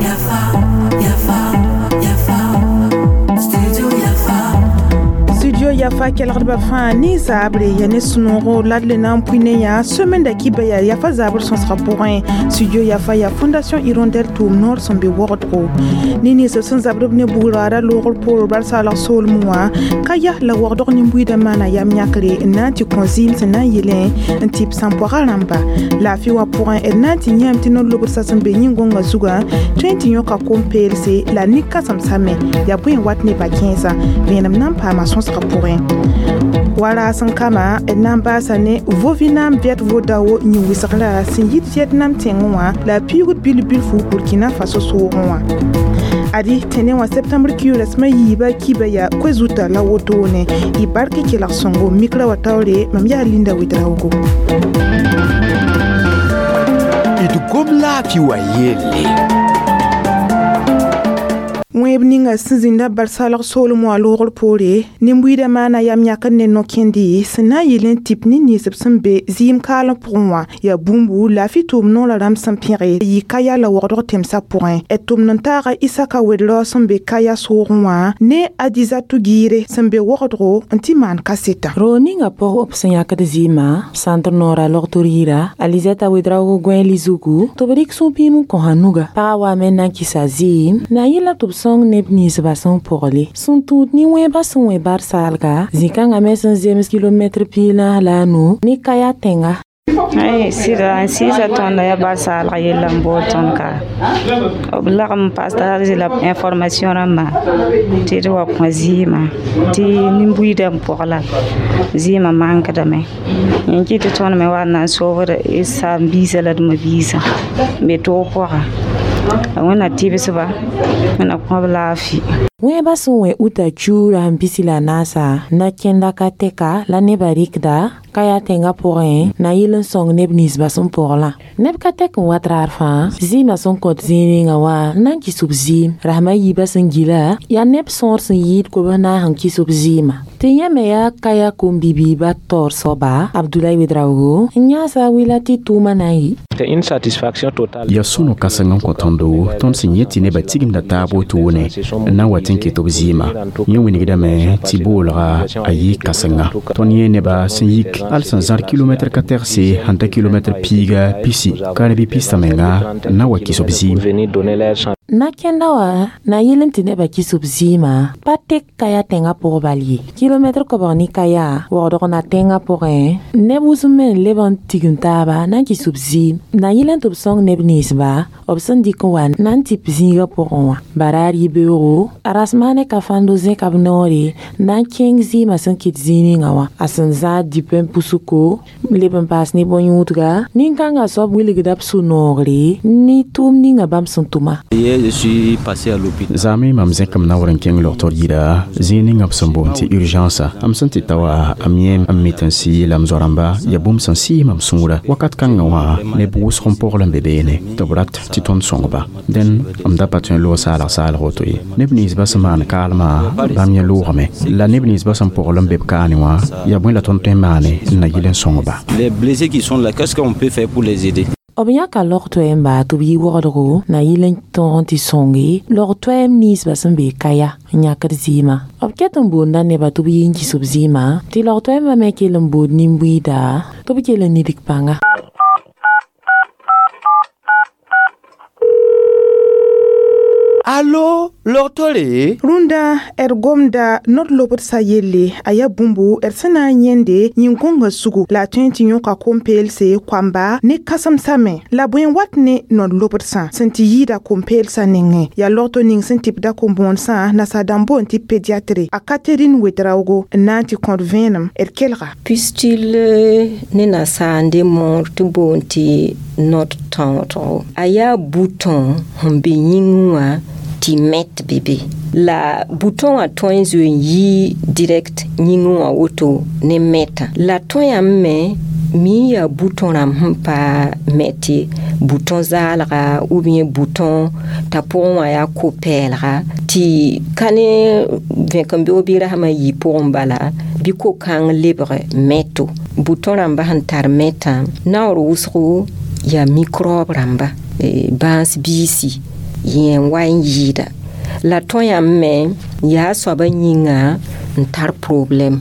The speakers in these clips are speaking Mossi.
Yafa, Yafa, Yafa, Studio Yafa. Studio Yafa kelgdbã fãa ne zaabre ya ne sũ-noogo la d le na n pʋɩ ne yã semaine da kiba yaa yafa zaabr sõsgã pʋgẽ. Studio Yafa yaa Fondation Hirondelle tʋʋm noor sẽn be wogdgo ne ninsb sẽn zabd b ne bugraada loogr poor bar-saalg soolmẽ wã ka ya la wogdg nin-buiidã maana yam yãkre n na n tɩ kõ zɩɩm sẽn na n yelẽ n tɩ b sãn-poagã rãmba. Laafɩ wã pʋgẽ d na n tɩ yãame tɩ no-lobdsã sẽn be yĩn-gõngã zugã tõe n tɩ yõka kom-peelse la nin-kãsemsã me yaa bõe n wat ne ba-kẽesã vẽenem na n paama sõsgã pʋgẽ. Wa raas n kama d na n baasa ne Vovinam Viet Vo Dao yĩn-wɩsgra sẽn yit Vietnam tẽngẽ wã la a piugd bil-bilfu Burkina Faso soogẽ wã. Adi tẽne wã septembre kiu rasmã yiiba kiba yaa koe-zuta la wotone y bark kelg sõngo mikra wa taoore. Mam yaa Linda Wedraogo. D gom laafɩ wa yelle. Wẽeb ninga sẽn zĩnda bar-saalg soolem wã loogr poore nin-buiidã maana yam yãkr ne no-kẽndi sẽn na n yɩl n tɩp ne ninsb sẽn be zɩɩm kaalem pʋgẽ wã yaa bũmbu laafɩ tʋʋm noorã rãmb sẽn pẽge yɩ kaya la wogdg tẽmsã pʋgẽ. D tʋmd n taaga Isaka Wedrao sẽn be kaya soogẽ wã ne Adizatu Giire sẽn be wogdgo n tɩ maan kasetã. Ro ninga pʋg b sẽn yãkd zɩɩmã sãntr noora logtr yira Alizɛta Wedraogo gõe lizugu tɩ b rɩk sũ-pĩim n kõsa nuga. Pagã waame n na n kɩsa zɩɩm na yɩla tɩ b sõng neb ninsbã sẽn pʋgle sẽn tũud nin-wẽebã sẽn wẽ bar-saalga zĩ-kãngã me sẽn zems kilomɛtr 45 ne kaya tẽnga. Ai sɩda n sɩɩsa tõnd yaa bar-saalg yella n bood tõnd ka b lagm n paas la information rãmbã tɩ d wa kõ zɩɩmã tɩ nin-buiidã n pɔgla zɩɩmã mankdame yẽ kɩ tɩ tõnd me wa n na n soobd d saam-biisã la d ma-biisã n be toog pʋga wẽnna tɩbsba wẽnna kõ b laafɩ. Wẽebã sẽn wẽ uta kiuurã n pisi la naasa na kẽnda ka tɛka la nebã rɩkda kaya tẽngã pʋgẽ na yɩl n sõng neb ninsbã sẽn pɔglã. Neb ka tɛk n wat raar fãa zɩɩmã sẽn kõt zĩig ninga wã n na n kɩs b zɩɩm rasmã yiibã sẽn gila yaa neb sõor sẽn yɩɩd kobs naas n kɩs b zɩɩmã tɩ yẽ me yaa kaya kom-bibiibã taoor soaba Abdulay Wedraogo n yãasa a wɩla tɩ tʋʋmã na n yɩ. Yaa sũ-no kãseng n kõ tõndo tõnd sẽn yẽ tɩ nebã tigimda taab wotone n na n wa tɩ n ket b zɩɩmã. Yẽ wilgdame tɩ boolga a yɩ kãsenga. Tõnd yẽ nebã sẽn yik al sẽn zãr kilomɛtr ka tɛgse sẽn ta kilomɛtr 120 karebi pista menga n na wa kɩs b zɩɩm. Na kẽnda wã na yɩl n tɩ nebã kɩs b zɩɩmã pa tek kaya tẽngã pʋg bal ye kilomɛtr koabg ne kaya wogdg na tẽngã pʋgẽ neb wʋsem me n leb n tigim taaba na n kɩs b zɩɩm na yɩl n tɩ b sõng neb ninsba b sẽn dɩk n wa na n tɩp zĩigã pʋgẽ wã baraar yibeoogo a rasmaane ka fãndo zẽka b noore na n kẽng zɩɩmã sẽn kɩt zĩig ninga wã a sẽn zãad dipẽ pusuko leb n paas ne bõn-yũudga nin-kãngã soab wilgda b sũ-noogre ne tʋʋm ninga bãmb sẽn tʋma. Je suis passé à l'hôpital. Zaame mam zẽkame naoor n kẽng logtr yira zĩig ninga b sẽn boond tɩ urgence m sẽn tɩ ta wa m yẽ m mit n sɩ la m zoa-rãmba yaa bũmb sẽn sɩɩs mam sũurã wakat kãngã wã neb wʋsg n pogl n be beene tɩ b rat tɩ tõnd sõngba dẽn m da pa tõe n loog saalg saalg woto ye neb ninsbã sẽn maan kaalmã bãmb yẽ loogame la neb ninsbã sẽn pogl n be b kaane wã yaa bõe la tõnd tõe n maane n na yɩl n sõngba. Les blessés qui sont là, qu'est-ce qu'on peut faire pour les aider? B yãka log-toɛɛmba tɩ b yɩ wogdgo na yɩl n tõog n tɩ sõnge log-toɛɛm ninsbã sẽn be kaya n yãkd zɩɩmã. B ket n boonda nebã tɩ b yɩ n kɩs b zɩɩmã tɩ log-toɛɛmbã me kell n bood nin-buiida tɩ b kell n nidg pãnga. Allo, logtore? Rũndã d gomda nod-lobdsã yelle a yaa bũmbu d sẽn na n yẽnde yĩn-gõngã sugu la a tõe n tɩ yõka kom-peelse koamba ne kãsemsã me la bõe n wat ne nod-lobdsã sẽn tɩ yɩɩda kom-peelsã nengẽ yaa logto ning sẽn tɩpda kom-bõonesã nasaar dãmb boond tɩ pédiatre a Catherine Wedraogo n na n tɩ kõt vẽenem d kelga. Pustule ne nasaar n de moor tɩ boond tɩ nod tõodgo a yaa bouton sẽn be yĩngẽ wã tɩ mɛt bebe la bouton wã tõe n zoe n yɩ direct yĩngẽ wã woto ne mɛtã la tõe yãmb me mi yaa bouton rãmb sẽn pa mɛt ye bouton zaalga ou bien bouton t'a pʋgẽ wã yaa ko-pɛɛlga tɩ ka ne vẽkembeoog bɩ rasmã yɩ pʋgẽ bala bɩ ko-kãng lebg mɛto. bouton rãmba sẽn tar mɛtã naoor wʋsgo yaa microbe rãmba bãas biisi yẽ n wa n yɩɩda la tõe yãmb me yaa soabã yĩnga n tar problɛm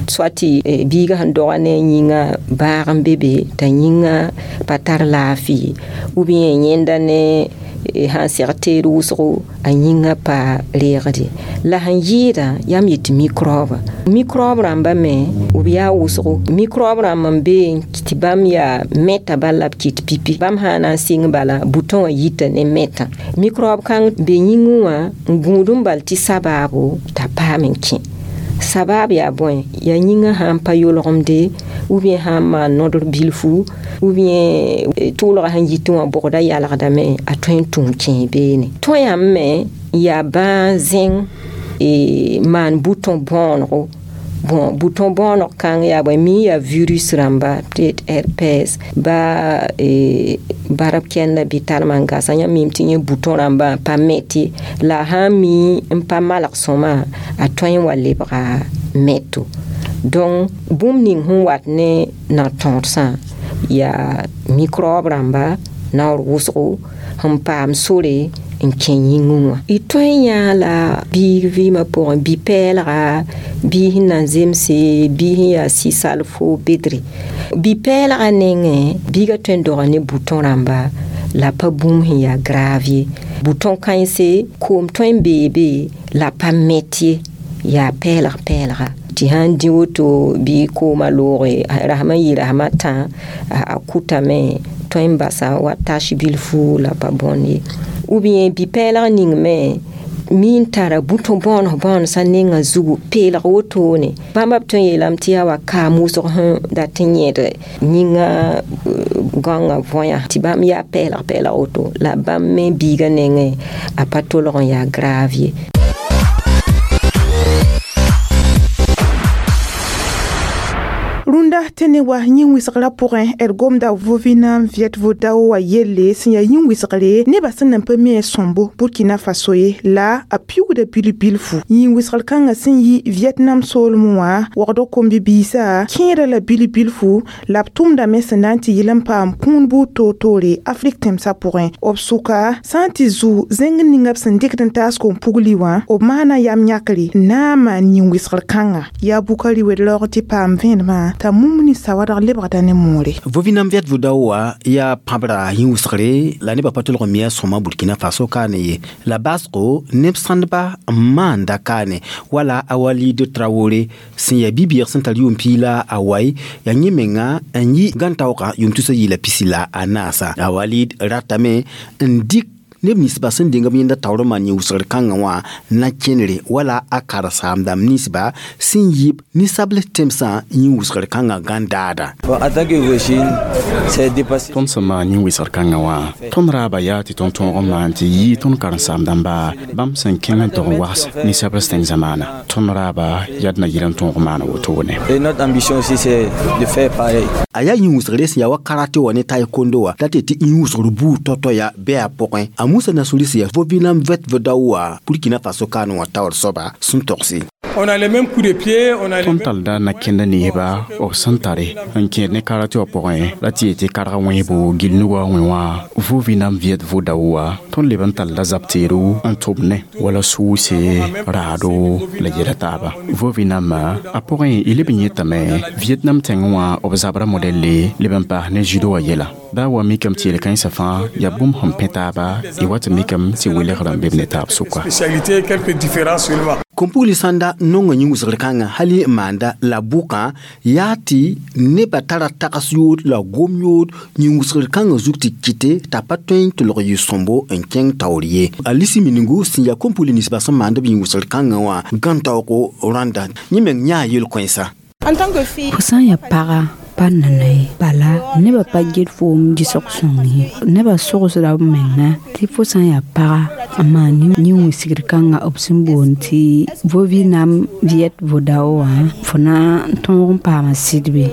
soit tɩ biigã sẽn doga ne a yĩnga bãag n be be t'a yĩnga pa tar laafɩ ou bien yẽnda ne sãn seg teed wʋsgo a yĩnga pa reegde la sẽn yɩɩda yam yetɩ microbe microbe rãmba me b yaa wʋsgo microbe rãmb n be tɩ bãmb yaa mɛta bala la b kɩt pipi bãmb sã na n sɩng bala bouton wã yita ne mɛtã microbe kãng be yĩngẽ wã n gũud n bal tɩ sabaabo t'a paam n kẽ sabab yaa bõe yaa yĩngã sã n pa yolgemde ou bien sã n maan nodr bilfu ou bien tʋʋlgã sẽn yitẽ wã bʋgda yalgdame a tõe n tũu kẽe beene tõe yãmb me yaa bãa zẽng maan bouton bõonego bon bouton bõoneg kãng yaa bõe mi yaa virus rãmba peut-être herpès ba barb kɛnda bɩ talma n gasa yãmb mim tɩ yẽ bouton rãmbã pa mɛte la a sã n mi n pa malg sõma a tõe n wa lebga mɛto donc bũmb ning sẽn wat ne na-tõodsã yaa microbe rãmba naoor wʋsgo sẽn paam sore n kẽ yĩngẽ wã y tõe n yãa la biig vɩɩmã pʋgẽ bi-pɛɛlga bii sẽn na n zemse bii sẽn yaa sɩ-salfo bedre bi-pɛɛlga nengẽ biigã tõe n doga ne bouton rãmba la pa bũmb sẽn yaa grave ye bouton kãense koom tõe n bee be la pa mɛt ye yaa pɛɛlg pɛɛlga tɩ sãn dĩ woto bɩ koomã looge rasem n yɩ rasem a tã a kʋtame tõe n basa wa tache bilfu la pa bõnd ye ou bien bi-pɛɛlg ning me mi n tara bouton bõones bõonesã nengã zugu peelg wotone bãmba b tõe n yeelame tɩ yaa wa kaam wʋsg sẽn dat n yẽd yĩngã gãongã võya tɩ bãmb yaa pɛɛlg pɛɛlg woto la bãmb me biigã nengẽ a pa tolg n yaa grave ye. Rũndã tɩ ne wa yĩn-wɩsgrã pʋgẽ d gomda Vovinam Viet Vo Dao wã yelle sẽn yaa yĩn-wɩsgre nebã sẽn nan pa mi a sõmbo Burkina Faso ye la a piʋgda bil-bilfu yĩn-wɩsgr kãngã sẽn yi Vietnam soolmẽ wã wagdg kom-bi-biisã kẽeda la bil-bilfu la b tʋmdame sẽn na n tɩ yɩl n paam kũun buud toor-toore Afrik tẽmsã pʋgẽ b sʋka sã n tɩ zu zẽng ninga b sẽn dɩkd n taas kom-pugli wã b maana yam yãkre n na n maan yĩn-wɩsgr kãnga yaa Bukari wed-raoog tɩ paam vẽenemã t'a mumni sawadg lebgda ne moore. Vovinam Viet Vo Dao wã yaa pãbra yĩn-wɩsgre la nebã pa tolg n mi a sõma Burkina Faso kaane ye la baasgo neb sãndba n maanda kaane wala a Walid Traoré sẽn yaa bi-bɩɩg sẽn tar yʋʋm piig la a wai yaa yẽ menga n yi gãn-taoogã yʋʋm tusa yɩɩla pisi la a naasa a Walid ratame n dɩk neb ninsba sẽn deng b yẽnda taoor n maan yĩn-wɩsgr kãngã wã na kẽnere wala a karen-saamdãmb ninsba sẽn yɩb ninsabl tẽmsã yĩn-wɩsgr kãngã gãn-daada. Tõnd sẽn maan yĩn-wɩsgr kãngã wã tõnd raaba yaa tɩ tõnd tõog n maan tɩ yɩ tõnd karen-saam-dãmba bãmb sẽn kẽng n tog n wags ninsabls tẽng zamaana tõnd raaba yaa d na yɩl n tõog n maana wotone. A yaa yĩn-wɩsgre sẽn yaa wa karate wã ne taekwondo wã la tɩ tɩ yĩn-wɩsgr buud tao-tao yaa bɩ a pʋgẽ a Moussa Nassouri sẽn yaa Vovinam Viet Vo Dao wã Burkina Faso kaan wã taoor soaba sẽn togse. Tõnd talda na-kẽnda neeba b sẽn tare n kẽed ne karate wã pʋgẽ la tɩ yetɩ karg wẽebo gill nugã wẽ wã Vovinam Viet Vo Dao wã tõnd leb n talla zab teedo n tʋb ne wala sʋʋse raado la yɛla taaba Vovinamã a pʋgẽ y leb n yetame Vietnam tẽngẽ wã b zabra modɛlle leb n paas ne judo wã yɛla baa wa mikame tɩ yel-kãensã fãa yaa bũmb sẽn pẽ taaba y wa tɩ mikame tɩ welgrã n be b ne taab sʋka. Kom-pugli sãnda nonga yĩn-wɩsgr kãngã hali n maanda la bʋkã yaa tɩ nebã tara tags yood la gom yood yĩn-wɩsgr kãngã zug tɩ kɩte t'a pa tõe n tʋlg yɩ sõmbo n kẽng taoor ye a lisi miningu sẽn yaa kom-pugli ninsba sẽn maand b yĩn-wɩsgr kãngã wã gãn-taoogo rãnda yẽ meng yãa yel-kõensa. Fo sã n yaa paga pa nana ye bala nebã pa get foom gisg sõng ye nebã sogsda b menga tɩ fo sã n yaa paga n maan yĩn-wɩsgr kãngã b sẽn boond tɩ Vovinam Viet Vo Dao wã fo na n tõog n paama sɩd be.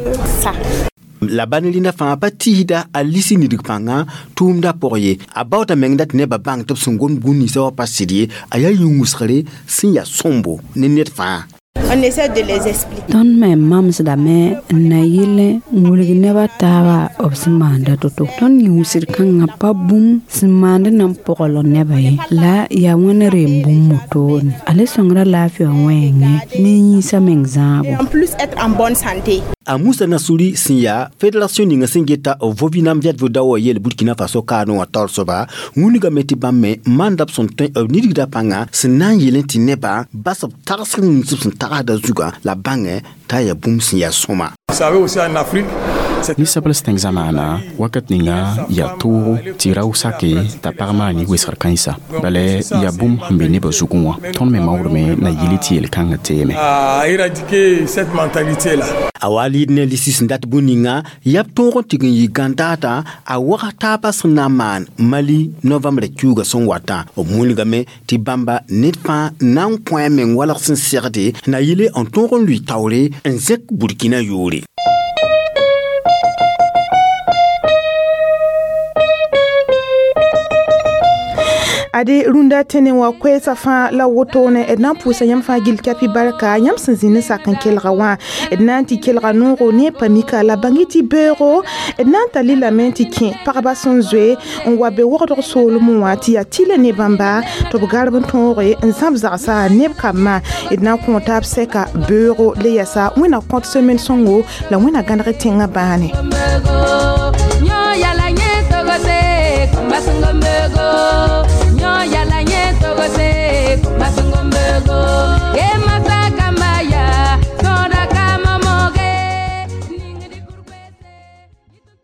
La bãn rĩndã fãa pa tɩɩsda a lisi nidg pãngã tʋʋmdã pʋg ye a baoota meng dat nebã bãng tɩ b sẽn gom gũ ninsã wã pa sɩd ye a yaa yĩn-wɩsgre sẽn yaa sõmbo ne ned fãa. On essaie de les expliquer. Tõnd me mamsdame n na yɩl n wilg neb a taaba b sẽn maanda to-to. Tõnd yĩusd kãngã pa bũmb sẽn maand na n pogl nebã ye la yaa wẽnd reem bũmb wotone. A le sõngra laafɩ wã wẽenge ne yĩnsã meng zãabo. En plus être en bonne santé. A Musa Nasuri sẽn yaa fédération ninga sẽn geta Vovinam Viet Vo Dao yel Burkina Faso kaanẽ wã taoor soaba wĩnigame tɩ bãmb me maanda b sẽn tõe b nidgda pãnga sẽn na n yelẽ tɩ nebã bas b tagsg nins b sẽn tagsda zugã la bãngẽ t'a yaa bũmb sẽn yaa sõma. Vous savez aussi en Afrique, Ninsabl tẽng zamaana wakat ninga yaa toogo tɩ rao sake t'a pag maan wesgr kãensa bala yaa bũmb sẽn be nebã zugẽ wã tõnd me maoodme na yɩl tɩ yel-kãngã teeme. À éradiquer cette mentalité-là. A wa lɩɩd ne lisi sẽn dat bũn ninga yaa b tõog n tɩg n yɩ gãndaata a wag taabã sẽn na n maan Mali novembrã kiuugã sẽn watã b wilgame tɩ bãmba ned fãa na n kõ a meng walg sẽn segde na yɩle n tõog n lʋɩ taoore n zẽk Burkina yʋʋre. Ade rũndã tẽne wã koɛɛsã fãa la wotone d na n pʋʋsa yãmb fãa gill kapi barka yãmb sẽn zĩ ne sak n kelga wã d na n tɩ kelga noogo ne pamika la bãng tɩ beoogo d na n tall lame tɩ kẽ pagba sẽn zoe n wa be wogdg soolmẽ wã tɩ yaa tɩlɛ ne bãmba tɩ b garb n tõoge n zãb zagsa neb kambã d na n kõ taab sɛka beoogo le yɛsa wẽna kõt semaine sõngo la wẽna gãneg tẽngã bãane. Yala